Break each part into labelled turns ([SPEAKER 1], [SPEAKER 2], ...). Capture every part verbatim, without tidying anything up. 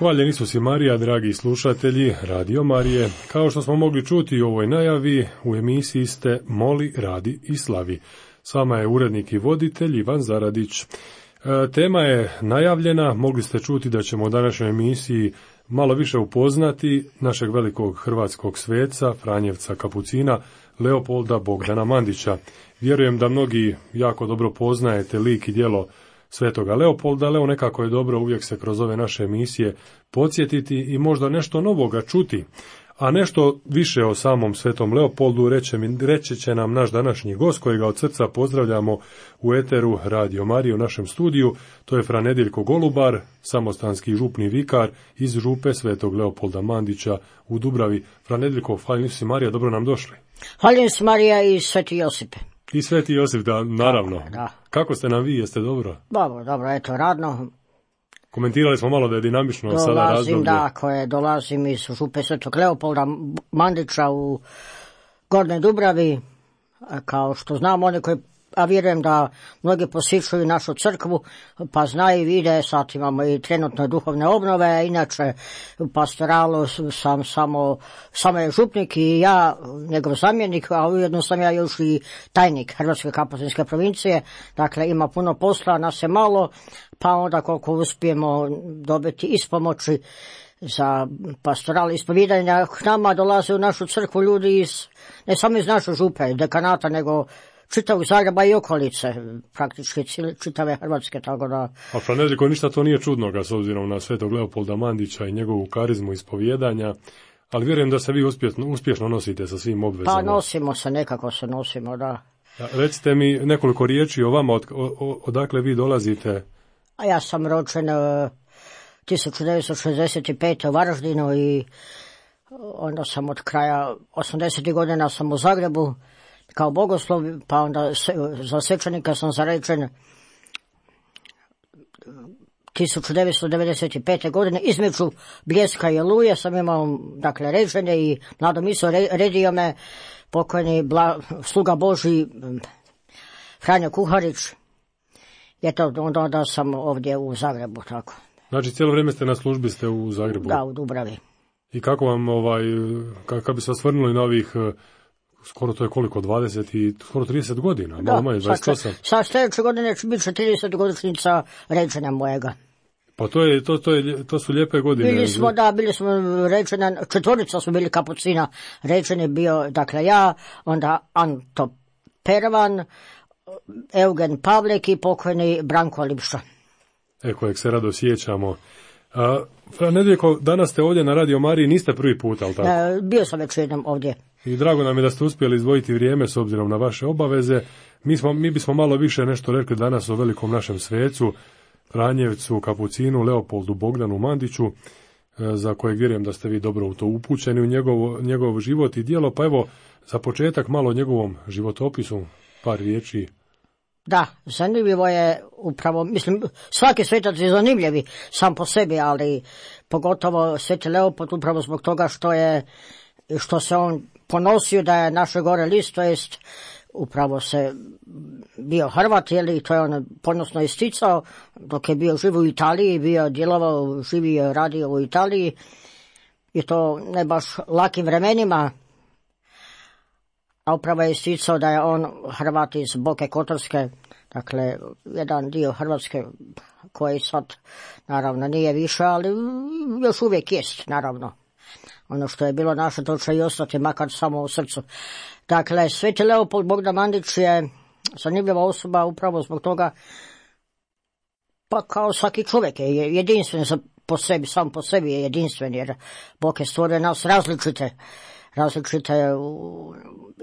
[SPEAKER 1] Hvaljen Isus i Marija, dragi slušatelji Radio Marije. Kao što smo mogli čuti u ovoj najavi, u emisiji ste Moli, radi i slavi. S vama je urednik i voditelj Ivan Zaradić. E, tema je najavljena, mogli ste čuti da ćemo u današnjoj emisiji malo više upoznati našeg velikog hrvatskog sveca, Franjevca Kapucina, Leopolda Bogdana Mandića. Vjerujem da mnogi jako dobro poznajete lik i djelo Svetoga Leopolda, ali evo nekako je dobro uvijek se kroz ove naše emisije podsjetiti i možda nešto novoga čuti. A nešto više o samom Svetom Leopoldu reće, reći će nam naš današnji gost, kojega od srca pozdravljamo u eteru Radio Marije u našem studiju. To je Fra Nedeljko Golubar, samostanski župni vikar iz župe Svetog Leopolda Mandića u Dubravi. Fra Nedeljko, hvaljen Isus i Marija, dobro nam došli.
[SPEAKER 2] Hvaljen Isus Marija i Sveti Josipe.
[SPEAKER 1] I Sveti Josip, da, naravno.
[SPEAKER 2] Da, da.
[SPEAKER 1] Kako ste nam vi, jeste dobro?
[SPEAKER 2] Dobro, dobro, eto, radno.
[SPEAKER 1] Komentirali smo malo da je dinamično dolazim, sada razdoblje.
[SPEAKER 2] Dolazim, da, koje dolazim iz župe Svetog Leopolda Mandića u Gornjoj Dubravi. Kao što znam, oni koji, a vjerujem da mnogi posjećuju našu crkvu, pa znaju i vide, sad imamo i trenutno duhovne obnove, inače u pastoralu sam samo, samo je župnik i ja, njegov zamjenik, a ujedno sam ja još i tajnik Hrvatske kapucinske provincije, dakle ima puno posla, nas je malo, pa onda koliko uspijemo dobiti ispomoći za pastoral ispovjedanja, k nama dolaze u našu crkvu ljudi iz, ne samo iz naše župe, dekanata, nego čitavog Zagreba i okolice, praktički čitave Hrvatske, tako da...
[SPEAKER 1] A Fra Nedeljko, ništa to nije čudnoga s obzirom na Svetog Leopolda Mandića i njegovu karizmu ispovjedanja, ali vjerujem da se vi uspješno, uspješno nosite sa svim obvezama.
[SPEAKER 2] Pa nosimo se, nekako se nosimo, da.
[SPEAKER 1] A recite mi nekoliko riječi o vama, od, o, odakle vi dolazite?
[SPEAKER 2] A ja sam rođen uh, tisuću devetsto šezdeset pete u Varaždinu i onda sam od kraja osamdesetih godina sam u Zagrebu kao bogoslov, pa onda se, za svečanika sam zarečen tisuću devetsto devedeset pete godine. Između Bljeska i Oluje sam imao, dakle, ređenje i mladom iso re, redio me pokojni bla, sluga Božji Franjo Kuharić. Je to onda, onda sam ovdje u Zagrebu, tako.
[SPEAKER 1] Znači, cijelo vrijeme ste na službi, ste u Zagrebu?
[SPEAKER 2] Da, u Dubravi.
[SPEAKER 1] I kako vam, ovaj, kako bi se osvrnuli na ovih, skoro to je koliko, dvadeset i skoro trideset godina,
[SPEAKER 2] da,
[SPEAKER 1] malo manje, dvadeset osam.
[SPEAKER 2] Sa sljedeće godine će biti trideset godišnjica ređenja mojega.
[SPEAKER 1] Pa to je, to, to je, to su lijepe godine.
[SPEAKER 2] Bili smo, da, bili smo ređena, četvorica su bili kapucina, ređen je bio, dakle, ja, onda Anto Pervan, Eugen Pavlek i pokojni Branko Lipša.
[SPEAKER 1] E, kojeg se rado sjećamo. A, Fra Nedeljko, danas ste ovdje na Radio Mariji, niste prvi put, ali tako?
[SPEAKER 2] E, bio sam već jednom ovdje.
[SPEAKER 1] I drago nam je da ste uspjeli izdvojiti vrijeme s obzirom na vaše obaveze. Mi, smo, mi bismo malo više nešto rekli danas o velikom našem svecu, Franjevcu, Kapucinu, Leopoldu Bogdanu Mandiću, za kojeg vjerujem da ste vi dobro u to upućeni u njegov, njegov život i djelo. Pa evo, za početak malo o njegovom životopisu, par riječi.
[SPEAKER 2] Da, zanimljivo je upravo, mislim, svaki svetac je zanimljivi sam po sebi, ali pogotovo Sveti Leopold upravo zbog toga što je, što se on ponosio da je naše gore list, to jest upravo se bio Hrvat, jeli, to je on ponosno isticao, dok je bio živ u Italiji, bio djelovao, živio, radio u Italiji, i to ne baš lakim vremenima, a upravo je isticao da je on Hrvat iz Boke Kotorske, dakle, jedan dio Hrvatske koji sad, naravno, nije više, ali još uvijek jest, naravno. Ono što je bilo naše, to će i ostati, makar samo u srcu. Dakle, Sveti Leopold Bogdan Mandić je zanimljiva osoba upravo zbog toga, pa kao svaki čovjek je jedinstven po sebi, sam po sebi je jedinstven, jer Bog je stvorio nas različite, različite u,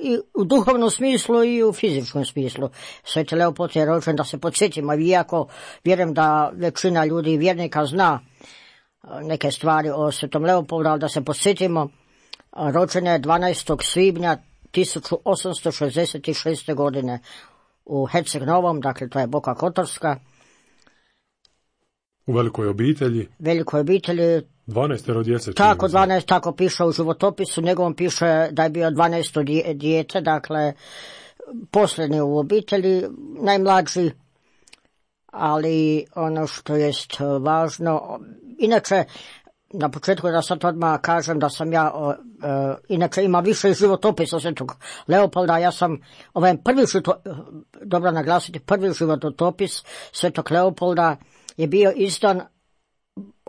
[SPEAKER 2] i u duhovnom smislu i u fizičkom smislu. Sveti Leopold je rođen, da se podsjetimo, iako vjerujem da većina ljudi i vjernika zna neke stvari o Svetom Leopoldu, ali da se podsjetimo, rođen je dvanaestog svibnja tisuću osamsto šezdeset šeste godine u Herceg Novom, dakle to je Boka Kotorska.
[SPEAKER 1] U velikoj obitelji.
[SPEAKER 2] Velikoj obitelji.
[SPEAKER 1] dvanaestero djece.
[SPEAKER 2] Tako, dvanaest, tako piše u životopisu, njegovom piše da je bio dvanaesto dijete, dakle posljednji u obitelji, najmlađi, ali ono što jest važno, inače na početku da sad odmah kažem da sam ja, uh, inače ima više životopisa Svetog Leopolda, ja sam, ovaj prvi život, dobro naglasiti, prvi životopis Svetog Leopolda je bio izdan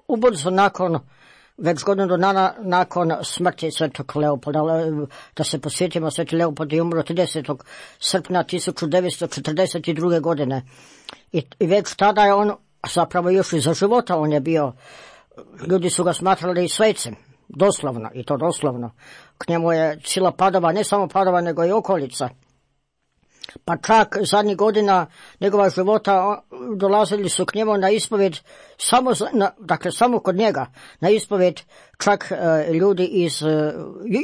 [SPEAKER 2] ubrzo nakon, već godinu dana nakon smrti Svetog Leopolda. Da se posjetimo, Sveti Leopold je umro tridesetog srpnja tisuću devetsto četrdeset druge. godine. I, I već tada je on, zapravo još i za života on je bio, ljudi su ga smatrali svecem, doslovno, i to doslovno. K njemu je cijela Padova, ne samo Padova, nego i okolica. Pa čak zadnjih godina njegova života dolazili su k njemu na ispovjed, samo, na, dakle samo kod njega, na ispovjed čak e, ljudi iz e,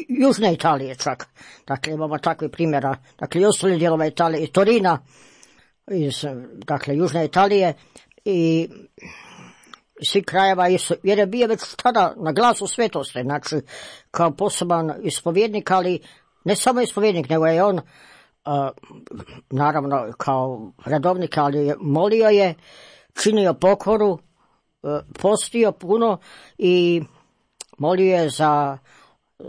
[SPEAKER 2] Južne Italije čak. Dakle, imamo takvih primjera, dakle i ostali dijelova Italije, i Torina, iz, dakle, Južne Italije i svi krajeva, jer je bio već tada na glasu svetosti, znači kao poseban ispovjednik, ali ne samo ispovjednik, nego je on Uh, naravno kao redovnik, ali molio je, činio pokoru, uh, postio puno i molio je za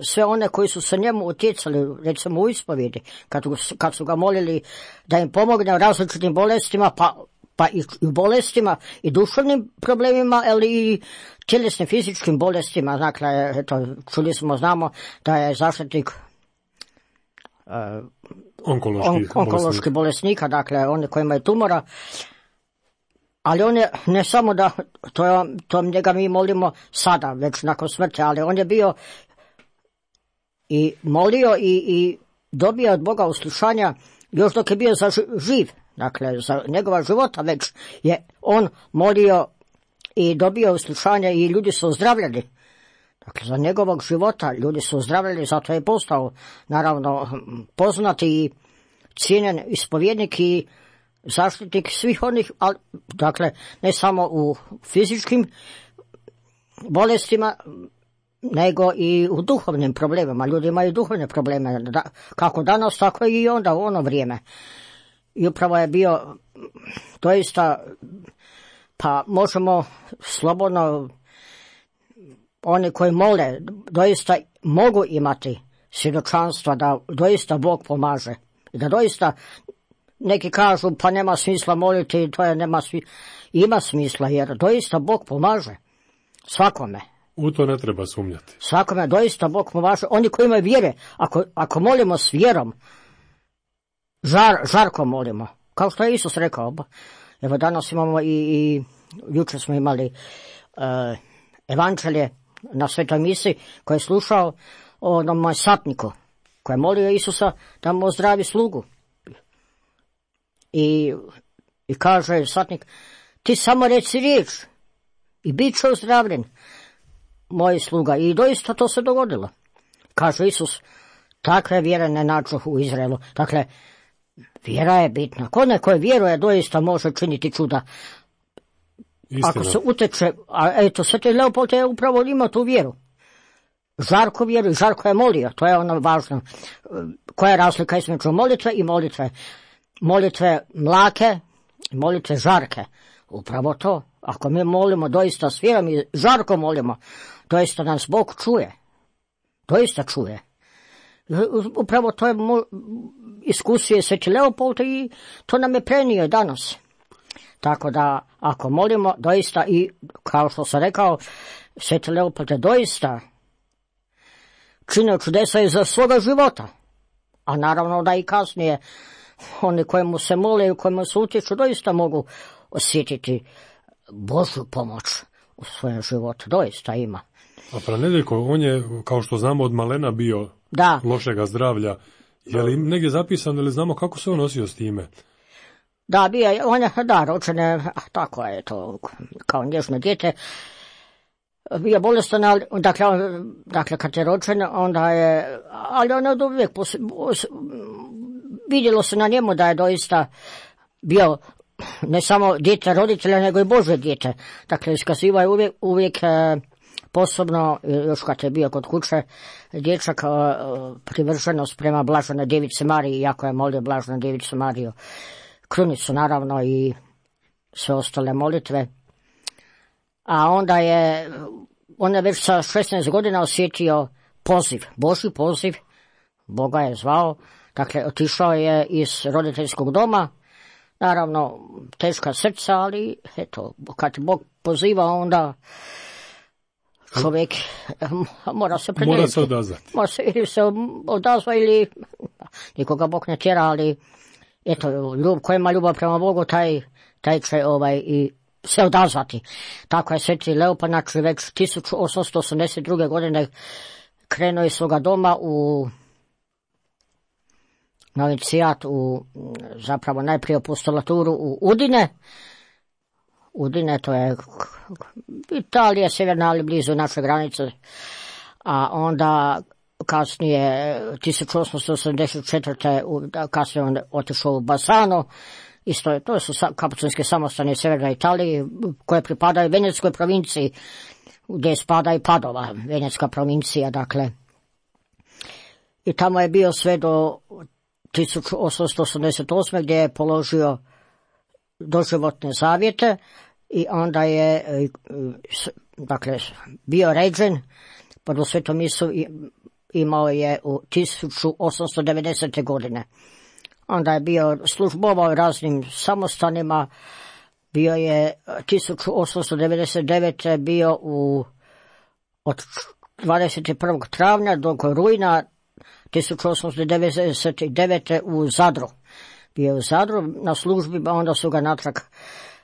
[SPEAKER 2] sve one koji su se njemu utjecali, recimo u ispovjedi, kad, kad su ga molili da im pomogne u različitim bolestima, pa, pa i u bolestima i duševnim problemima, ali i tjelesnim fizičkim bolestima. Dakle, eto, čuli smo, znamo da je zaštitnik uh,
[SPEAKER 1] Onkološki,
[SPEAKER 2] on, onkološki bolesnika, dakle oni koji imaju tumora, ali on je, ne samo da, to, je, to njega mi molimo sada, već nakon smrti, ali on je bio i molio i, i dobio od Boga uslišanja još dok je bio za živ, dakle za njegova života već je on molio i dobio uslišanja i ljudi su ozdravljeni. Dakle, za njegovog života ljudi su ozdravljeni, zato je postao, naravno, poznati i cijenjen ispovjednik i zaštitnik svih onih, ali, dakle, ne samo u fizičkim bolestima, nego i u duhovnim problemima. Ljudi imaju duhovne probleme, da, kako danas, tako i onda u ono vrijeme. I upravo je bio doista, pa možemo slobodno, oni koji mole doista mogu imati svjedočanstva da doista Bog pomaže. I da doista, neki kažu pa nema smisla moliti, to je nema smisla. Ima smisla jer doista Bog pomaže svakome.
[SPEAKER 1] U to ne treba sumnjati.
[SPEAKER 2] Svakome doista Bog pomaže. Oni koji imaju vjere, ako, ako molimo s vjerom, žar, žarko molimo. Kao što je Isus rekao. Evo danas imamo i, i jučer smo imali uh, evanđelje na svetoj misi koji je slušao o onom satniku koji je molio Isusa da mu ozdravi slugu. I, i kaže satnik, ti samo reci riječ i bit će ozdravljen moj sluga. I doista to se dogodilo. Kaže Isus, takve vjere ne nađu u Izraelu. Dakle, vjera je bitna. Ko neko vjeruje doista može činiti čuda. Istina. Ako se uteče, a eto, Sveti Leopold je upravo imao tu vjeru. Žarko vjeru, žarko je molio, to je ono važno. Koja je razlika između molitve i molitve? Molitve mlake, molitve žarke. Upravo to. Ako mi molimo doista s vjerom i žarko molimo, doista nas Bog čuje. Doista čuje. Upravo to je iskusio Sveti Leopold i to nam je prenio danas. Tako da, ako molimo, doista i, kao što sam rekao, Sveti Leopold je doista činio čudesa i za svoga života. A naravno da i kasnije oni kojemu se mole i kojemu se utječu doista mogu osjetiti Božju pomoć u svojem životu. Doista ima.
[SPEAKER 1] A Pranedeljko, on je, kao što znamo, od malena bio
[SPEAKER 2] da.
[SPEAKER 1] lošega zdravlja. Je li negdje zapisano ili znamo kako se on nosio s time?
[SPEAKER 2] Da, bio je, on je, da, ročen je, tako je to, kao nježno dijete, bio bolestan, ali, dakle, dakle, kad je ročen, onda je, ali on je od uvijek, vidjelo se na njemu da je doista bio ne samo dijete roditelja, nego i Božje dijete. Dakle, iskazivao je uvijek, uvijek posebno, još kad je bio kod kuće, dječak privrženost prema Blaženoj Djevici Mariji, iako je molio Blaženu Djevicu Mariju, krunicu naravno i sve ostale molitve. A onda je on je već sa šesnaest godina osjetio poziv, Božji poziv, Boga je zvao, dakle otišao je iz roditeljskog doma, naravno teška srca, ali eto, kad Bog poziva, onda čovjek mora se predjeliti.
[SPEAKER 1] Mora se odazvati.
[SPEAKER 2] Mora se, ili se odazva ili nikoga Bog ne tjera, ali eto, ljub, ko ima ljubav prema Bogu, taj, taj će ovaj i se odazvati. Tako je sveti Leopold, znači već tisuću osamsto osamdeset druge godine krenuo iz svoga doma u novicijat, u zapravo najprije apostolaturu u Udine. Udine, to je Italija, sjeverna, ali blizu naše granice. A onda kasnije, tisuću osamsto osamdeset četvrte kasnije on otišao u Bassano. Isto je, to su kapucinske samostane u sjevernoj Italiji, koje pripadaju Venecijskoj provinciji, gdje spada i Padova, Venecka provincija, dakle. I tamo je bio sve do tisuću osamsto osamdeset osme gdje je položio doživotne zavjete i onda je, dakle, bio ređen, prvu svetu misu imao je u tisuću osamsto devedesete godine. Onda je bio službovao raznim samostanima, bio je tisuću osamsto devedeset devete bio u, od dvadeset prvog travnja do rujna tisuću osamsto devedeset devete u Zadru. Bio je u Zadru na službi, a onda su ga natrag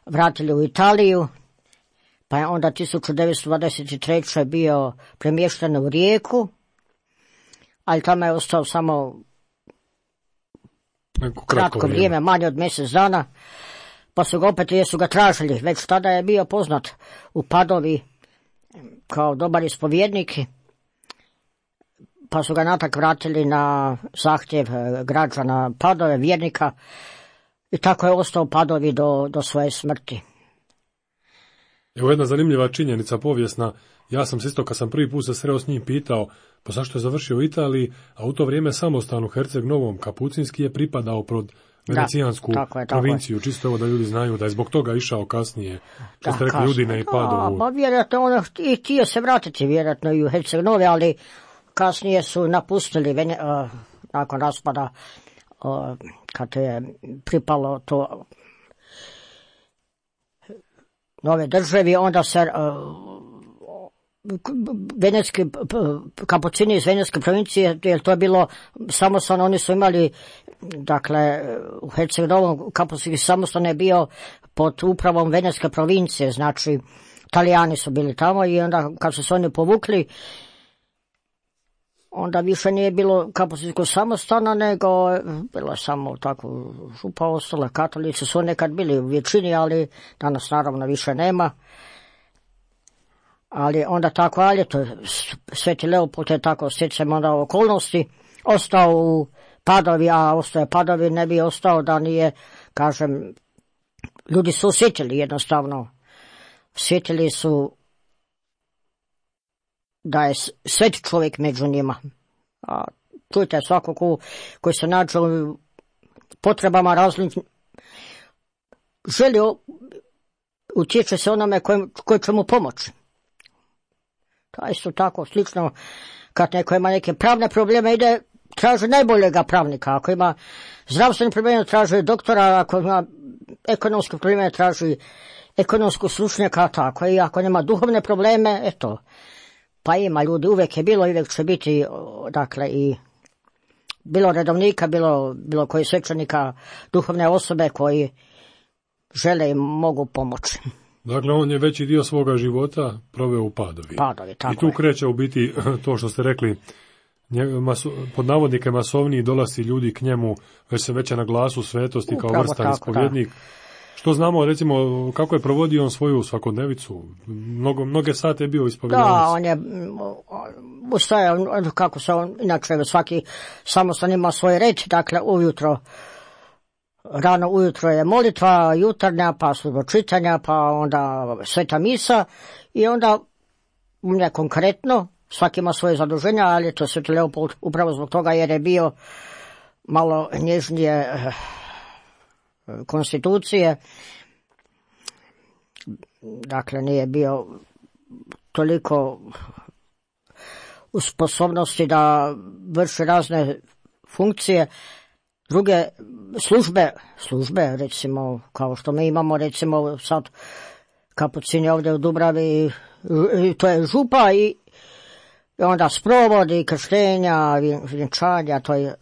[SPEAKER 2] vratili u Italiju, pa je onda tisuću devetsto dvadeset treće bio premješten u Rijeku, ali tamo je ostao samo
[SPEAKER 1] kratko,
[SPEAKER 2] kratko vrijeme, vrijeme, manje od mjesec dana, pa su ga opet, jer su ga tražili, već tada je bio poznat u Padovi kao dobar ispovjednik, pa su ga natak vratili na zahtjev građana Padove, vjernika, i tako je ostao u Padovi do, do svoje smrti.
[SPEAKER 1] Evo jedna zanimljiva činjenica povijesna. Ja sam se isto, kad sam prvi put se sreo s njim, pitao pa zašto je završio u Italiji, a u to vrijeme samostan u Herceg Novom Kapucinski je pripadao pod venecijansku
[SPEAKER 2] da, tako je, tako
[SPEAKER 1] provinciju. Je. Čisto evo da ljudi znaju da je zbog toga išao kasnije, što ste rekli, Udine i Padovu.
[SPEAKER 2] Pa vjerojatno ono i htio se vratiti vjerojatno i u Herceg Nove, ali kasnije su napustili Vene, uh, nakon raspada, uh, kad je pripalo to nove državi, onda se uh, venetski kapucini iz Venetske provincije, jer to je bilo samostan, oni su imali, dakle, u Herceg Novom kapucinski samostan je bio pod upravom Venetske provincije, znači Talijani su bili tamo i onda kad su se oni povukli, onda više nije bilo kapucinskog samostana, nego bilo je samo tako župa ostala, katolici su nekad bili u većini, ali danas naravno više nema. Ali onda tako, ali to Sveti Leopold je tako stjecajem onda okolnosti ostao u Padovi, a ostao je Padovi, ne bi ostao da nije, kažem, ljudi su osjetili jednostavno, osjetili su da je sveti čovjek među njima. A čujte, svako ko, koji se nađe u potrebama različnim, želi, utječe se onome koji, koji će mu pomoći. To je isto tako slično, kad neko ima neke pravne probleme, ide, traži najboljega pravnika. Ako ima zdravstvene probleme, traži doktora, ako ima ekonomske probleme, traži ekonomskog stručnjaka, tako. I ako nema duhovne probleme, eto, pa ima ljudi, uvijek je bilo i uvijek će biti, dakle, i bilo redovnika, bilo, bilo koji svećenika, duhovne osobe koji žele i mogu pomoći.
[SPEAKER 1] Dakle, on je veći dio svoga života proveo u Padovi.
[SPEAKER 2] Padovi, tako
[SPEAKER 1] I tu
[SPEAKER 2] je.
[SPEAKER 1] kreće u biti to što ste rekli, maso, pod navodnike masovniji dolazi ljudi k njemu, već se veće na glasu svetosti kao
[SPEAKER 2] Upravo
[SPEAKER 1] vrstan
[SPEAKER 2] tako,
[SPEAKER 1] ispovjednik. Da. Što znamo, recimo, kako je provodio on svoju svakodnevicu? Mnogo, mnoge sate je bio ispovjedanac.
[SPEAKER 2] Da, on je ustaje, kako se on, inače svaki samostan ima svoj red, dakle ujutro, rano ujutro je molitva jutarnja, pa služba čitanja, pa onda sveta misa i onda ne konkretno, svaki ima svoje zaduženja, ali to Sveti Leopold upravo zbog toga jer je bio malo nježnije konstitucije, dakle nije bio toliko u sposobnosti da vrši razne funkcije, druge službe, službe recimo kao što mi imamo recimo sad kapucini ovdje u Dubravi, to je župa i i onda sprovodi, krštenja, vjenčanja, to je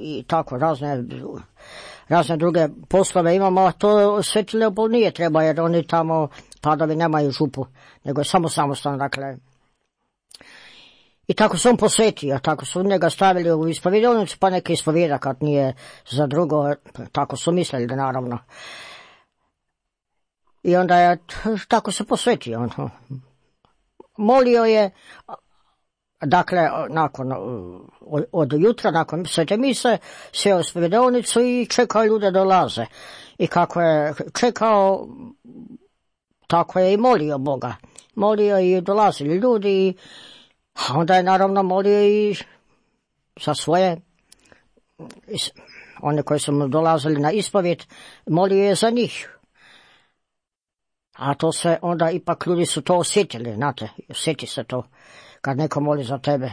[SPEAKER 2] i tako razne, razne druge poslove imamo, a to Sveti Leopold nije treba, jer oni tamo padovi nemaju župu, nego je samo samostalno, dakle. I tako se on posvetio, tako su njega stavili u ispovjedovnicu, pa neka ispovjeda kad nije za drugo, tako su mislili, naravno. I onda je, tako se posvetio, on. Molio je, dakle, nakon, od, od jutra, nakon svete mise, sjeo u ispovjedovnicu i čekao ljude dolaze. I kako je čekao, tako je i molio Boga. Molio i dolazili ljudi, a onda je naravno molio i za svoje, one koji su mu dolazili na ispovjed, molio je za njih. A to se onda ipak ljudi su to osjetili, znate, osjeti se to kad neko moli za tebe.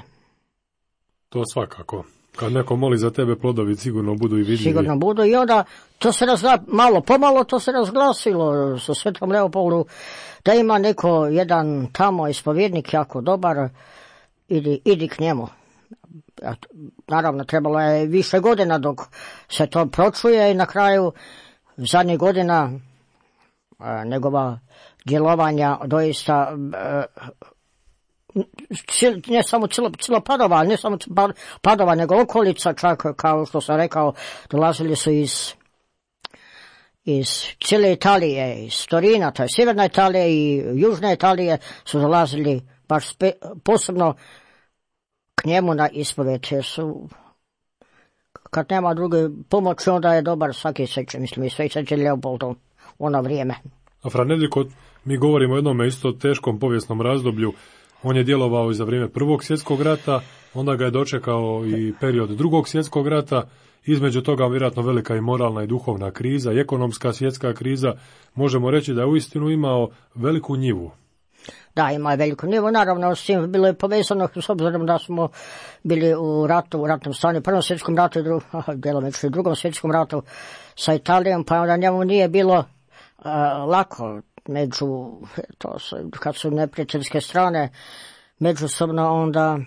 [SPEAKER 1] To svakako. Kad neko moli za tebe, plodovi sigurno budu i vidljivi.
[SPEAKER 2] Sigurno budu i onda to se razgla, malo pomalo to se razglasilo sa Svetom Leopoldu, da ima neko jedan tamo ispovjednik jako dobar, idi, idi k njemu. Naravno, trebalo je više godina dok se to pročuje i na kraju zadnjih godina njegova djelovanja doista ne samo cijelo, cijelo Padova, ne samo Padova, nego okolica, čak kao što sam rekao, dolazili su iz iz cijele Italije, iz Torina, to je sjeverna Italija i južna Italije su dolazili baš spe, posebno k njemu na ispovjed, jer su, kad nema druge pomoći, onda je dobar svaki sveće, mislim i sveće Leopoldom u ono vrijeme.
[SPEAKER 1] A fra Nedeljko, mi govorimo o jednom isto teškom povijesnom razdoblju. On je djelovao i za vrijeme Prvog svjetskog rata, onda ga je dočekao i period Drugog svjetskog rata, između toga vjerojatno velika i moralna i duhovna kriza, i ekonomska svjetska kriza. Možemo reći da je uistinu imao veliku njivu.
[SPEAKER 2] Da, ima je veliku njivu, naravno s tim bilo je povezano s obzirom da smo bili u ratu, u ratnom stanju, Prvom svjetskom ratu i dru, djelomično i Drugom svjetskom ratu sa Italijom, pa onda njemu nije bilo uh, lako među, to su, kad su neprijateljske strane, međusobno onda...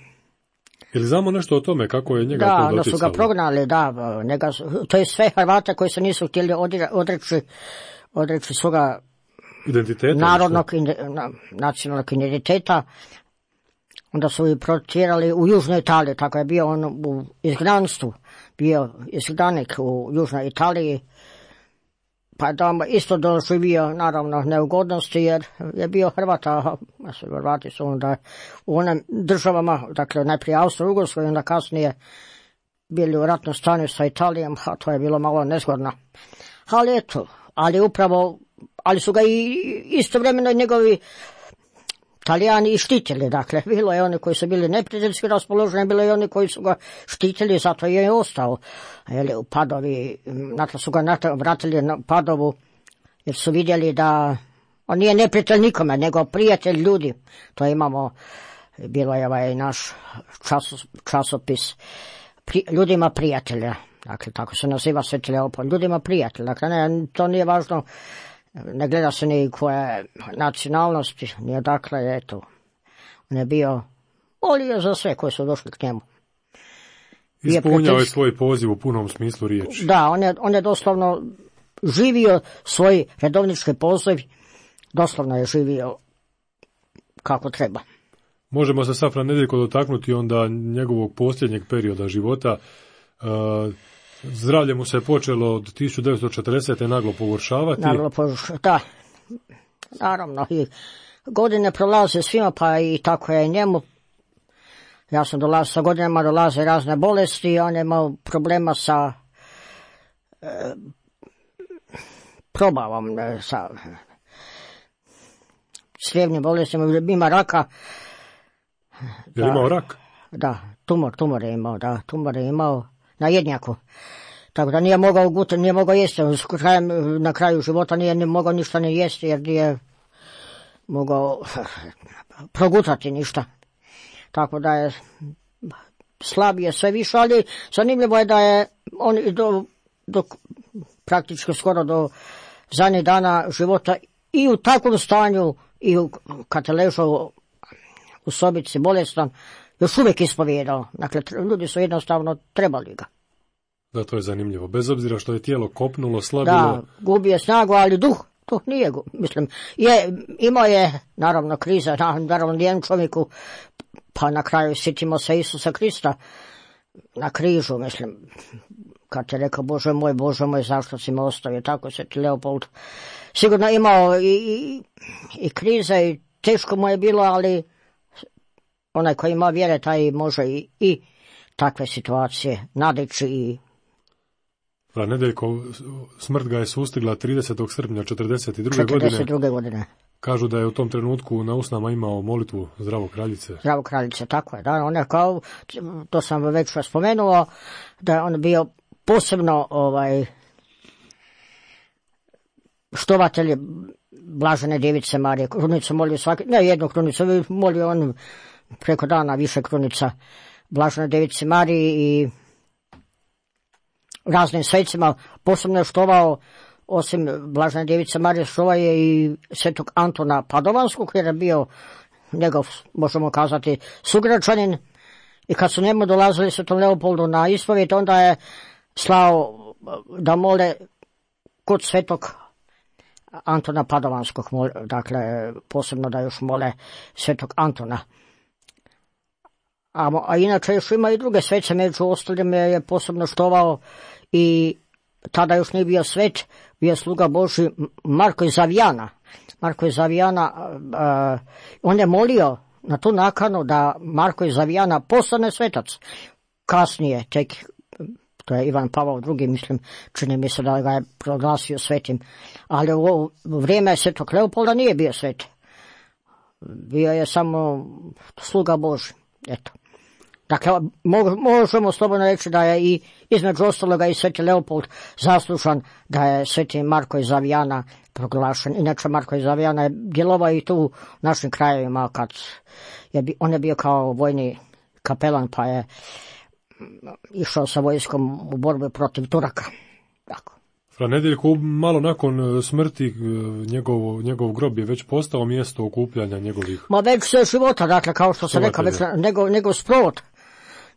[SPEAKER 1] Ili znamo nešto o tome, kako je njega
[SPEAKER 2] da,
[SPEAKER 1] to doticalo?
[SPEAKER 2] Da, su ga prognali, da, njega, to je sve Hrvate koji se nisu htjeli odreći, odreći svoga
[SPEAKER 1] identiteta,
[SPEAKER 2] narodnog, na, nacionalnog identiteta, onda su ih protjerali u Južnoj Italiji, tako je bio on u izgnanstvu, bio izgnanik u Južnoj Italiji, pa da isto doživio naravno neugodnosti jer je bio Hrvata, a Hrvati su onda u onim državama, dakle najprije Austro-Ugarskoj, onda kasnije bili u ratnom stanju sa Italijom, a to je bilo malo nezgodno. Ali eto, ali upravo, ali su ga i istovremeno njegovi Talijani i štitili, dakle, bilo je oni koji su bili neprijateljski raspoloženi, bilo je oni koji su ga štitili, zato je i ostao. Jeli, u Padovi, nato su ga vratili na Padovu, jer su vidjeli da on nije neprijatelj nikome, nego prijatelj ljudi. To imamo, bilo je ovaj naš časos, časopis, pri, ljudima prijatelja, dakle, tako se naziva Sveti Leopold, ljudima prijatelja, dakle, ne, to nije važno. Ne gleda se ni koje nacionalnosti, ni odakle je to. On je bio, volio za sve koji su došli k njemu.
[SPEAKER 1] Ispunjao je svoj poziv u punom smislu riječi.
[SPEAKER 2] Da, on je, on je doslovno živio svoj redovnički poziv, doslovno je živio kako treba.
[SPEAKER 1] Možemo se sad, fra Nedeljko, dotaknuti onda njegovog posljednjeg perioda života. Uh, Zdravlje mu se počelo od tisuću devetsto četrdesete naglo pogoršavati.
[SPEAKER 2] Naglo pogoršavati, da. Naravno, i godine prolaze svima, pa i tako je njemu. Ja sam dolazio, sa godinama dolaze razne bolesti, on je imao problema sa e, probavom, e, sa slijevnim bolestima, ima raka.
[SPEAKER 1] Je li imao rak?
[SPEAKER 2] Da, tumor, tumor je imao, da, tumor je imao na jednjaku. Tako da nije mogao gut, nije mogao jesti, krajem, na kraju života nije ni mogao ništa ne jesti jer nije, mogao progutati ništa. Tako da je slabije sve više, ali zanimljivo je da je on i do, do praktički skoro do zadnjih dana života i u takvom stanju i u, kad je ležao u sobici bolestan, još uvijek ispovijedao. Dakle, ljudi su jednostavno trebali ga.
[SPEAKER 1] Da, to je zanimljivo. Bez obzira što je tijelo kopnulo, slabilo...
[SPEAKER 2] Da, gubio snagu, ali duh, duh nije, mislim, je, imao je, naravno, kriza, naravno, nijednom čovjeku, pa na kraju sjetimo se Isusa Krista na križu, mislim, kad je rekao, Bože moj, Bože moj, zašto si me ostavio, tako se ti Leopold sigurno imao i, i, i krize i teško mu je bilo, ali onaj koji ima vjere, taj može i, i takve situacije nadići i...
[SPEAKER 1] Fra Nedeljko, smrt ga je sustigla tridesetog srpnja četrdeset druge.
[SPEAKER 2] četrdeset druge godine.
[SPEAKER 1] Kažu da je u tom trenutku na usnama imao molitvu Zdravo kraljice.
[SPEAKER 2] Zdravo kraljice, tako je. Da, on je kao, to sam već spomenuo, da je on bio posebno ovaj, štovatelj Blažene Djevice Marije. Krunicu molio svaki, ne jednu krunicu, molio on preko dana više krunica Blažene Djevice Marije i raznim svecima. Posebno je štovao, osim Blažene Djevice Marije, štovao je i svetog Antona Padovanskog, jer je bio njegov, možemo kazati, sugrađanin. I kad su njemu dolazili svetom Leopoldu na ispovijed, onda je slao da mole kod svetog Antona Padovanskog, dakle posebno da još mole svetog Antona. A, a inače još ima i druge svece, među ostalim je posebno štovao i tada još nije bio svet, bio sluga Božji Marko iz Avijana. Marko iz Avijana, uh, on je molio na tu nakanu da Marko iz Avijana postane svetac. Kasnije, tek, to je Ivan Pavao drugi, mislim, čini mi se da ga je proglasio svetim. Ali u vrijeme svetog Leopolda nije bio svet. Bio je samo sluga Božji, eto. Dakle, možemo slobodno reći da je i između ostaloga i sveti Leopold zaslužan da je sveti Marko iz Avijana proglašen. Inače, Marko iz Avijana je djelovao i tu u našim krajevima kad je, on je bio kao vojni kapelan, pa je išao sa vojskom u borbu protiv Turaka. Tako.
[SPEAKER 1] Fra Nedeljko, malo nakon smrti njegov, njegov grob je već postao mjesto okupljanja njegovih...
[SPEAKER 2] Ma već sve života, dakle, kao što se rekao, već njegov, njegov sprovod.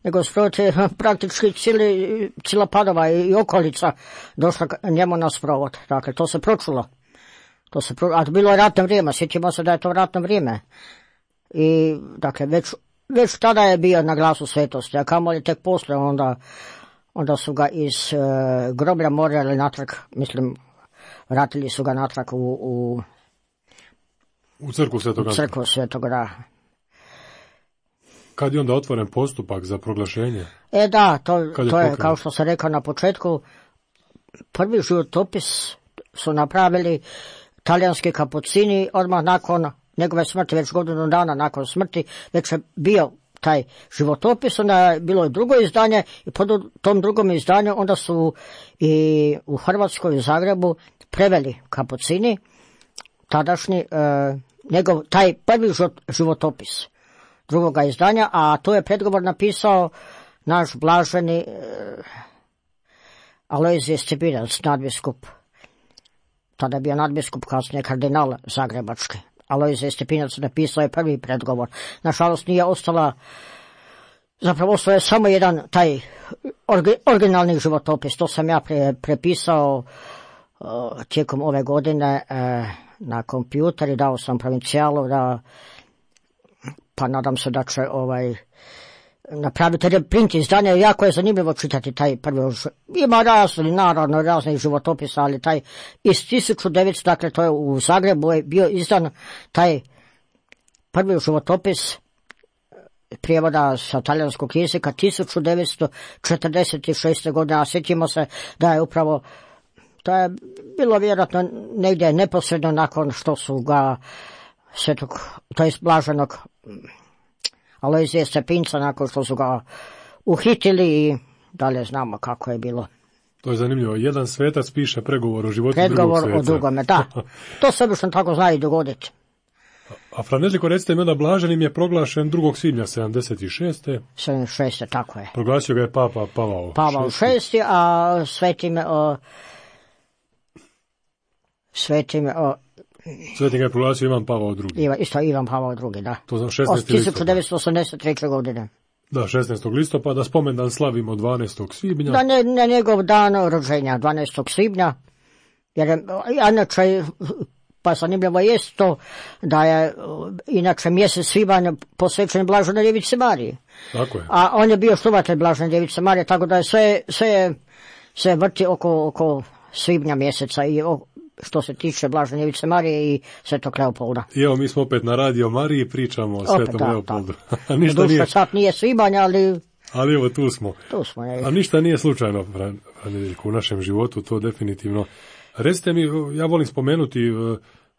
[SPEAKER 2] Nego sprovod je praktički cijeli, cijela Padova i okolica došla njemu na sprovod. Dakle, to se pročulo. To se pro... A bilo je ratno vrijeme, sjetimo se da je to ratno vrijeme. I, dakle, već, već tada je bio na glasu svetosti, a kamoli tek poslije, onda, onda su ga iz uh, groblja morali natrag, mislim, vratili su ga natrag u... U,
[SPEAKER 1] u crkvu Svetog Antona.
[SPEAKER 2] U crkvu Svetog, da.
[SPEAKER 1] Kad je onda otvoren postupak za proglašenje?
[SPEAKER 2] E da, to,
[SPEAKER 1] je,
[SPEAKER 2] to je, kao što sam rekao na početku, prvi životopis su napravili talijanski kapucini odmah nakon njegove smrti, već godinu dana nakon smrti, već je bio taj životopis, onda je bilo i drugo izdanje i po tom drugom izdanju onda su i u Hrvatskoj, u Zagrebu, preveli kapucini, tadašnji, e, njegov, taj prvi životopis drugoga izdanja, a to je predgovor napisao naš blaženi e, Alojzije Stepinac, nadbiskup. Tada je bio nadbiskup, kasnije kardinal zagrebački. Alojzije Stepinac napisao je prvi predgovor. Nažalost nije ostala, zapravo ostao je samo jedan taj orgi, originalni životopis. To sam ja pre, prepisao uh, tijekom ove godine uh, na kompjuter i dao sam provincijalu da, pa nadam se da će ovaj napraviti reprint izdanja. Jako je zanimljivo čitati taj prvi, ima razni, naravno raznih životopisa, ali taj iz tisuću devetsto, dakle to je u Zagrebu je bio izdan taj prvi životopis prijevoda sa talijanskog jezika tisuću devetsto četrdeset šeste. godine, a sjetimo se da je upravo, to je bilo vjerojatno negdje neposredno nakon što su ga svetog, to je blaženog Alojzije Stepinca, nakon što su ga uhitili i dalje znamo kako je bilo.
[SPEAKER 1] To je zanimljivo. Jedan svetac piše pregovor o životu
[SPEAKER 2] Predgovor
[SPEAKER 1] drugog sveca.
[SPEAKER 2] o drugome, da. To se obično tako zna i dogoditi.
[SPEAKER 1] A Franežliko, recite mi, onda blaženim je proglašen drugog svibnja sedamdeset šeste.
[SPEAKER 2] sedamdeset šeste, tako je.
[SPEAKER 1] Proglasio ga je Papa Pavao.
[SPEAKER 2] Pavao šesti, a svetim o, svetim o,
[SPEAKER 1] Svetim ga je proglasio Ivan Pavao drugi.
[SPEAKER 2] Ivan, isto Ivan Pavao drugi, da.
[SPEAKER 1] To za šesnaestog listopada.
[SPEAKER 2] tisuću devetsto osamdeset treće. godine.
[SPEAKER 1] Da, šesnaestog listopada, spomendan slavimo dvanaestog svibnja.
[SPEAKER 2] Da, ne, ne njegov dan rođenja, dvanaestog svibnja, jer je, inače, pa zanimljivo jest to da je inače mjesec svibanj posvećen Blaženoj Djevici Mariji.
[SPEAKER 1] Tako je.
[SPEAKER 2] A on je bio štovatelj Blažene Djevice Marije, tako da je sve, sve, sve vrti oko, oko svibnja mjeseca i o, što se tiče Blažene Djevice Marije i Svetog Leopolda.
[SPEAKER 1] I evo, mi smo opet na Radio Mariji, pričamo o Svetom
[SPEAKER 2] da,
[SPEAKER 1] Leopoldu.
[SPEAKER 2] A ništa nije... sad nije svibanj, ali...
[SPEAKER 1] Ali evo, tu smo.
[SPEAKER 2] Tu smo, je.
[SPEAKER 1] A ništa nije slučajno, Franežiko, u našem životu, to definitivno. Recite mi, ja volim spomenuti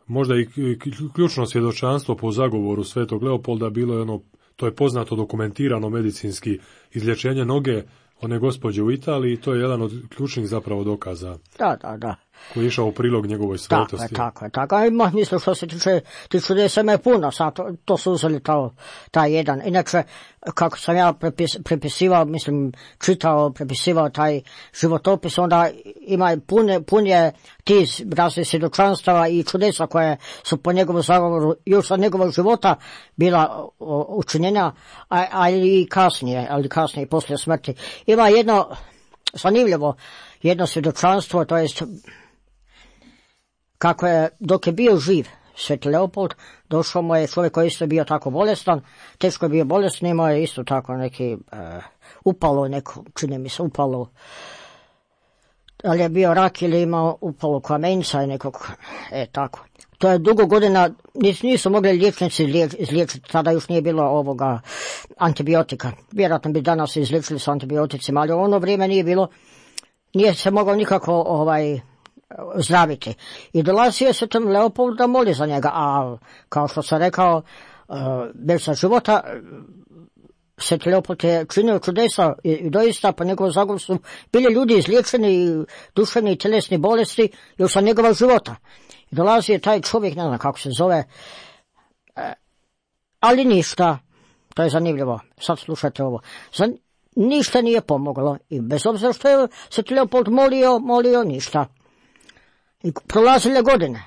[SPEAKER 1] možda i ključno svjedočanstvo po zagovoru Svetog Leopolda, bilo je ono, to je poznato, dokumentirano medicinski, izlječenje noge one gospođe u Italiji, to je jedan od ključnih zapravo dokaza.
[SPEAKER 2] Da, da, da.
[SPEAKER 1] Koji je išao u prilog njegove svetosti.
[SPEAKER 2] Tako je, tako je, tako je. Ima, mislim, što se tiče, ti čudesa ima je puno, sad to, to su uzeli to, taj jedan. Inače, kako sam ja prepis, prepisivao, mislim, čitao, prepisivao taj životopis, onda ima pune, pun je tiz raznih svjedočanstava i čudesa koje su po njegovom zagovoru još od njegovog života bila učinjena, ali i kasnije, ali kasnije i poslije smrti. Ima jedno zanimljivo, jedno svjedočanstvo, to jest kako je, dok je bio živ Sveti Leopold, došao mu je čovjek koji isto bio tako bolestan, teško je bio bolestan, imao je isto tako neki uh, upalo, neko, čini mi se upalo, ali je bio rak ili imao upalo kamenca i nekog, e tako. To je dugo godina, nisu mogli liječnici izliječiti, tada još nije bilo ovoga antibiotika. Vjerojatno bi danas izliječili s antibioticima, ali u ono vrijeme nije bilo, nije se mogao nikako ovaj zdraviti. I dolazio se tam Leopold da moli za njega, a kao što sam rekao, uh, bez života, Sveti Leopold je činio čudesa i, i doista po njegovom zagovoru su bili ljudi izliječeni duševni i tjelesni bolesti još sa njegova života. I dolazi je taj čovjek, ne znam kako se zove, uh, ali ništa, to je zanimljivo, sad slušajte ovo, Zan, ništa nije pomoglo i bez obzira što je Sveti Leopold molio, molio ništa. I prolazile godine.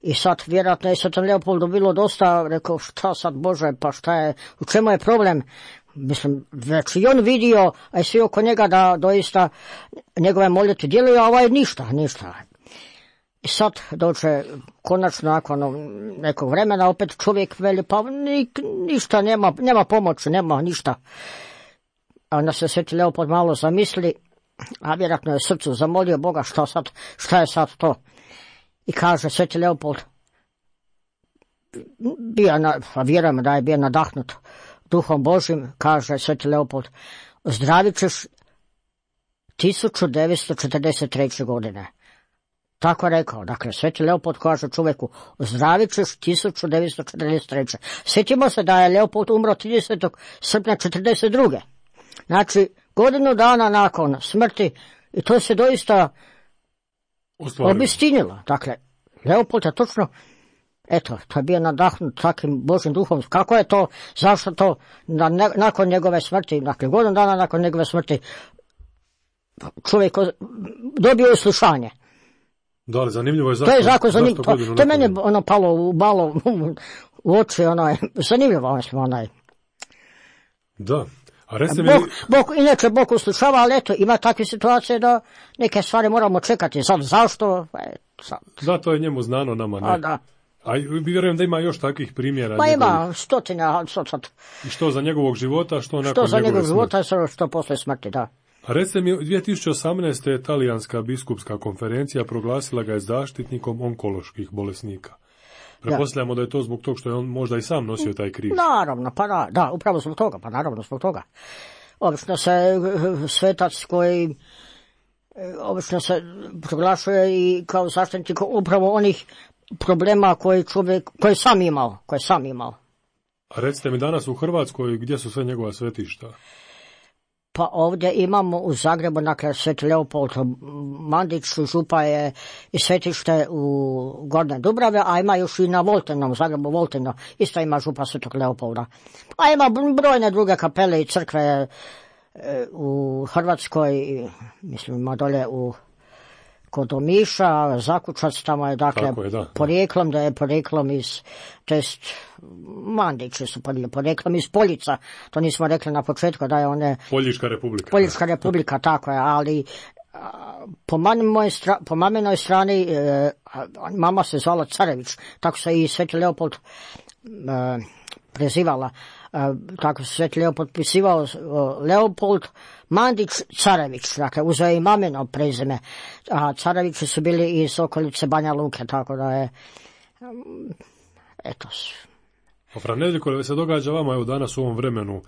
[SPEAKER 2] I sad vjerojatno je Svetom Leopoldu bilo dosta, rekao šta sad Bože, pa šta je, u čemu je problem? Mislim, već i on vidio, a i svi oko njega da doista njegove molitve djeluju, a ovaj ništa, ništa. I sad dođe konačno nakon nekog vremena, opet čovjek veli, pa ni, ništa, nema, nema pomoći, nema ništa. A onda se Sveti Leopold malo zamisli, a vjerojatno je srcu zamolio Boga šta sad, šta je sad to. I kaže Sveti Leopold, bio na, a vjerujem da je bio nadahnut Duhom Božim, kaže Sveti Leopold, ozdravit ćeš tisuću devetsto četrdeset treće. godine. Tako je rekao, dakle, Sveti Leopold kaže čovjeku, ozdravit ćeš tisuću devetsto četrdeset treće. Sjetimo se da je Leopold umro tridesetog srpnja četrdeset druge. Znači, godinu dana nakon smrti, i to se doista obistinilo. Dakle, Leopold je točno, eto, to je bio nadahnut takvim Božim duhom. Kako je to, zašto to, na, ne, nakon njegove smrti, dakle, godinu dana nakon njegove smrti, čovjek dobio uslušanje.
[SPEAKER 1] Da, ali zanimljivo je zašto.
[SPEAKER 2] To je zakon zanimljivo, to, to je meni ono palo u malo u oči, onaj, zanimljivo, onaj.
[SPEAKER 1] Da. A recite mi...
[SPEAKER 2] Bog, Bog, inače Bog uslušava, ali eto, ima takve situacije da neke stvari moramo čekati. Sad, zašto? E, sad.
[SPEAKER 1] Da, to je njemu znano, nama ne.
[SPEAKER 2] A, da.
[SPEAKER 1] A vjerujem da ima još takvih primjera.
[SPEAKER 2] Pa njegovih... ima stotina. Sad, sad.
[SPEAKER 1] I što za njegovog života, što nakon
[SPEAKER 2] što za
[SPEAKER 1] njegove
[SPEAKER 2] njegovog života, što, što posle smrti, da.
[SPEAKER 1] A recite mi, dvije tisuće osamnaeste. talijanska biskupska konferencija proglasila ga je zaštitnikom onkoloških bolesnika. Pretpostavljamo da je to zbog toga što je on možda i sam nosio taj križ.
[SPEAKER 2] Naravno, pa da, da, upravo zbog toga, pa naravno zbog toga. Obično se svetac koji, obično se proglašuje i kao zaštitnik upravo onih problema koje čovjek, koje sam imao, koje sam imao.
[SPEAKER 1] A recite mi danas u Hrvatskoj, gdje su sve njegova svetišta?
[SPEAKER 2] Pa ovdje imamo u Zagrebu, dakle, Sveti Leopold Mandić, župa je i svetište u Gornje Dubrave, a ima još i na Voltenom, u Zagrebu Volteno, isto ima župa Svetog Leopolda. A ima brojne druge kapele i crkve u Hrvatskoj, mislim, ima dolje u kod Omiša, Zakučac, tamo je, dakle,
[SPEAKER 1] je, da,
[SPEAKER 2] porijeklom, da je porijeklom iz, to jest, Mandići su porijeklom iz Poljica, to nismo rekli na početku, da je one...
[SPEAKER 1] Poljička republika.
[SPEAKER 2] Poljička republika, tako je, ali po, stra, po maminoj strani e, mama se zvala Carević, tako se i Sveti Leopold e, prezivala. Tako se Sveti Leopold pisivao, Leopold Mandić Carević, dakle uzeo je i mamino prezime, a Carevići su bili iz okolice Banja Luke, tako da je, eto.
[SPEAKER 1] A Fra Nedeljko, se događa vama evo danas u ovom vremenu,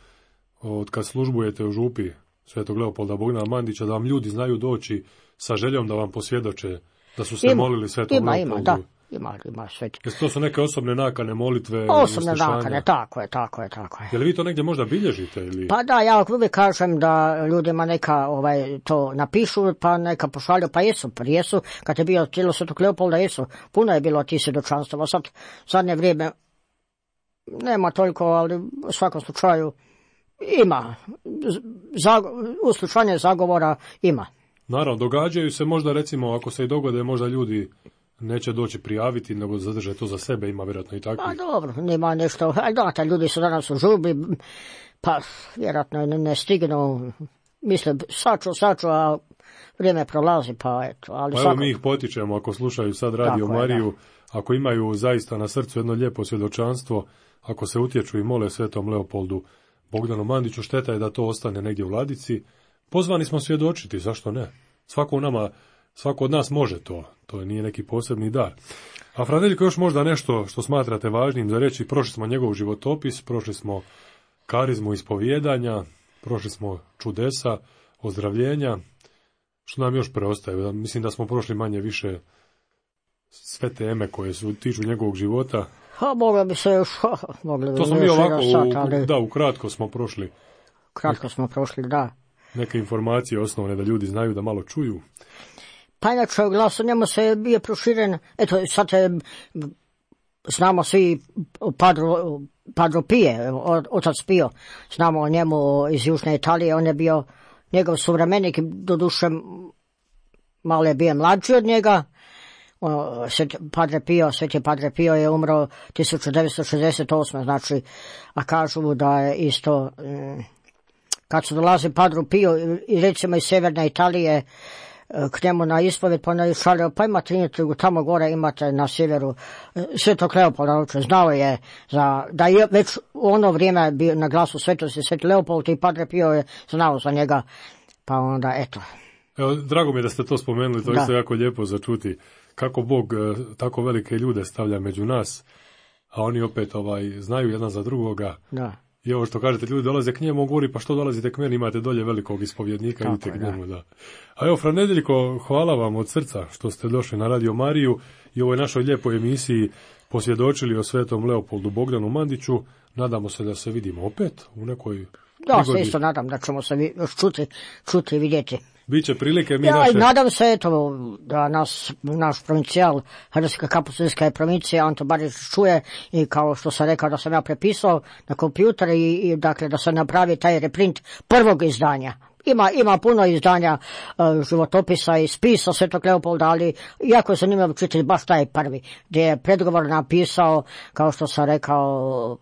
[SPEAKER 1] od kad službujete u župi Svetog Leopolda Bogdana Mandića, da vam ljudi znaju doći sa željom da vam posvjedoče da su se ima, molili Svetom
[SPEAKER 2] ima,
[SPEAKER 1] Leopoldu?
[SPEAKER 2] Ima, da. Ima, ima sveti.
[SPEAKER 1] Jesu to su neke osobne nakane, molitve,
[SPEAKER 2] osobne nakane, tako je, tako je, tako je.
[SPEAKER 1] Je li vi to negdje možda bilježite? Ili?
[SPEAKER 2] Pa da, ja uvijek kažem da ljudima neka ovaj, to napišu, pa neka pošalju, pa jesu, pa jesu, kad je bio tijelo Svetog Leopolda, jesu, puno je bilo tih svjedočanstava, sad, zadnje vrijeme, nema toliko, ali u svakom slučaju ima, Zag, uslušanje zagovora ima.
[SPEAKER 1] Naravno, događaju se možda, recimo, ako se i dogode, možda ljudi neće doći prijaviti, nego zadrže to za sebe, ima vjerojatno i takvih.
[SPEAKER 2] Pa dobro, nema nešto, ali da, ta ljudi su danas u žubi, pa vjerojatno ne, ne stignu, mislim, saču, saču, a vrijeme prolazi, pa eto. Ali
[SPEAKER 1] pa
[SPEAKER 2] svako...
[SPEAKER 1] evo mi ih potičemo, ako slušaju sad Radio tako Mariju, je, ako imaju zaista na srcu jedno lijepo svjedočanstvo, ako se utječu i mole Svetom Leopoldu Bogdanu Mandiću, šteta je da to ostane negdje u ladici. Pozvani smo svjedočiti, zašto ne? Svako u nama, svako od nas može to, to nije neki posebni dar. A Fra Nedeljko, još možda nešto što smatrate važnim za reći, prošli smo njegov životopis, prošli smo karizmu ispovijedanja, prošli smo čudesa, ozdravljenja, što nam još preostaje? Mislim da smo prošli manje više sve teme koje su tiču njegovog života.
[SPEAKER 2] Ha, moglo bi se još, ha, mogli bi
[SPEAKER 1] to smo mi ovako,
[SPEAKER 2] sat, ali...
[SPEAKER 1] u, da, ukratko smo prošli.
[SPEAKER 2] Kratko smo prošli, da.
[SPEAKER 1] Neke informacije osnovne da ljudi znaju, da malo čuju.
[SPEAKER 2] Pa inače, glas o njemu se bio proširen, eto, sad je, znamo svi Padro, Padro Pije, otac Pio, znamo o njemu iz Južne Italije, on je bio njegov suvremenik, doduše malo je bio mlađi od njega. Padre Pio, Sveti Padre Pio je umro tisuću devetsto šezdeset osme, znači, a kažu da je isto, kad su dolazi Padru Pio i recimo iz Sjeverne Italije k njemu na ispovjed, pa ne šalio, pa imate tamo gore, imate na sjeveru Svetog Leopolda, znao je za, da je već u ono vrijeme bio na glasu svetosti Sveti Leopold i Padre Pio je znao za njega, pa onda eto.
[SPEAKER 1] Evo, drago mi je da ste to spomenuli, to je isto jako lijepo za čuti. Kako Bog tako velike ljude stavlja među nas, a oni opet ovaj znaju jedan za drugoga.
[SPEAKER 2] Da.
[SPEAKER 1] I ovo što kažete, ljudi dolaze k njemu, govori, pa što dolazite k meni, imate dolje velikog ispovjednika, tako idite k njemu, da. A evo, Fra Nedeljko, hvala vam od srca što ste došli na Radio Mariju i ovoj našoj lijepoj emisiji posvjedočili o Svetom Leopoldu Bogdanu Mandiću. Nadamo se da se vidimo opet u nekoj
[SPEAKER 2] Da,
[SPEAKER 1] prigodi.
[SPEAKER 2] se isto nadam da ćemo se još čuti, čuti i vidjeti.
[SPEAKER 1] Biće prilike mi
[SPEAKER 2] ja,
[SPEAKER 1] naše...
[SPEAKER 2] nadam se, eto, da nas, naš provincijal, Hrvatska kapustinska provincija, Anto Barić čuje i kao što sam rekao da sam ja prepisao na kompjuter i, i dakle da se napravi taj reprint prvog izdanja. Ima, ima puno izdanja uh, životopisa i spisa Svetog Leopolda, ali jako je zanimljivo čitati baš taj prvi, gdje je predgovor napisao, kao što sam rekao,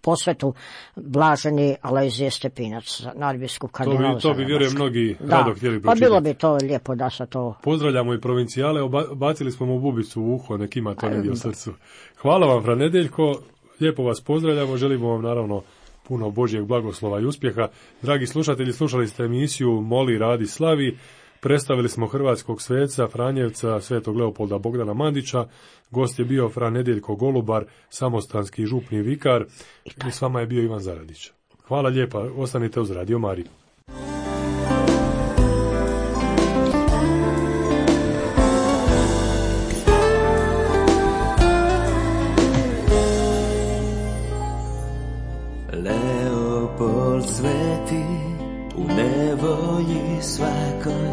[SPEAKER 2] posvetu blaženi Alojzije Stepinac, nadbiskup kardinal.
[SPEAKER 1] To bi, to bi vjerujem mnogi
[SPEAKER 2] da,
[SPEAKER 1] rado htjeli pročitati.
[SPEAKER 2] Pa bilo bi to lijepo da se to...
[SPEAKER 1] Pozdravljamo i provincijale, bacili smo mu bubicu u uho, nek ima to negdje u srcu. Hvala vam, Fra Nedeljko, lijepo vas pozdravljamo, želimo vam naravno puno Božjeg blagoslova i uspjeha. Dragi slušatelji, slušali ste emisiju Moli, radi, slavi. Predstavili smo hrvatskog sveca, Franjevca, Svetog Leopolda Bogdana Mandića. Gost je bio Fra Nedeljko Golubar, samostanski župni vikar. I s vama je bio Ivan Zaradić. Hvala lijepa, ostanite uz Radio Mariju.
[SPEAKER 3] Leopold sveti u ne tvoji svakoj,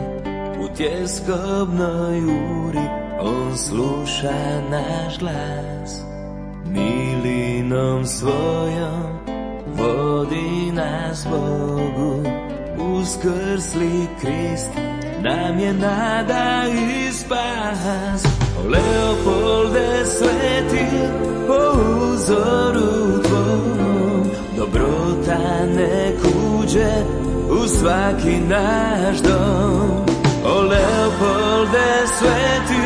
[SPEAKER 3] u tjeskobnoj uri, on sluša naš glas. Milinom svojom vodi nas Bogu, uskrsli Krist nam je nada i spas. O Leopolde sveti, po uzoru tvom, dobrota nek uđe u svaki naš dom. O Leopolde sveti,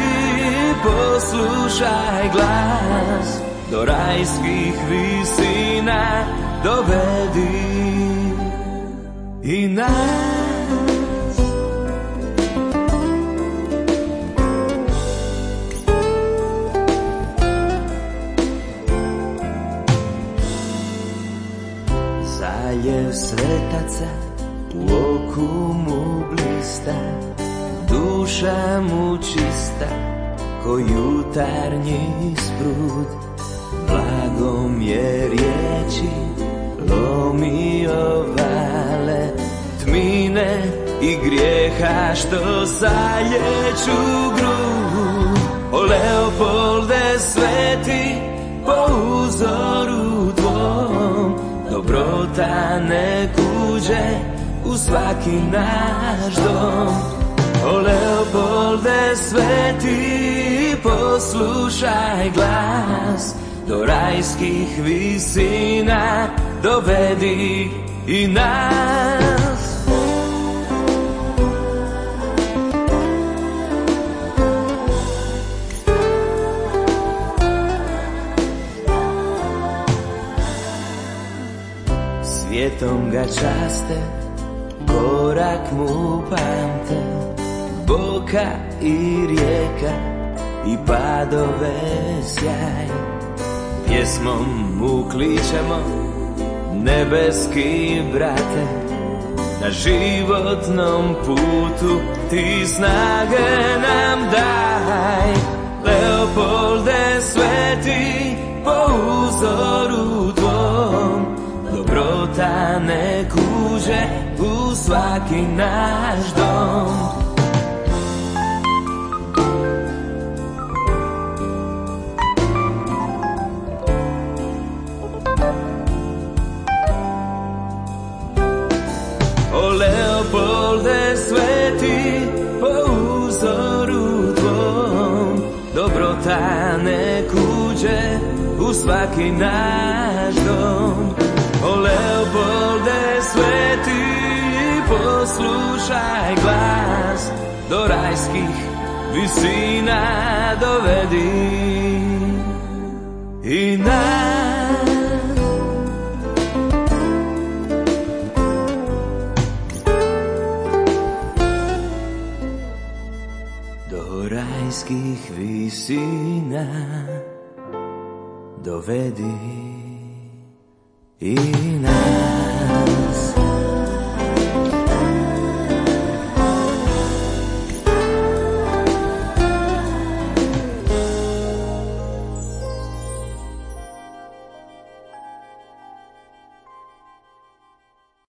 [SPEAKER 3] poslušaj glas, do rajskih visina dovedi i nas. Zaljev svetaca u oku mu blista, duša mu čista ko jutarnji sprud. Blagom je riječi lomio vale, tmine i grijeha što salječu grud. O Leopolde sveti, po uzoru tvom, dobrota nek uđe u svaki naš dom. O Leopolde sveti, poslušaj glas, do rajskih visina dovedi i nas. Svijetom ga časte, korak mu pamte, boka i rijeka i padove sjaj. Pjesmom mu kličemo, nebeski brate, na životnom putu ti snage nam daj. Leopolde sveti, po uzoru tvom, dobrota nek uđe u svaki naš dom. O Leopolde sveti, po uzoru tvom, dobrota nek uđe u svaki naš dom. O Leopolde sveti, poslušaj glas, do rajskih visina dovedi i nas. Do rajskih visina dovedi i nas.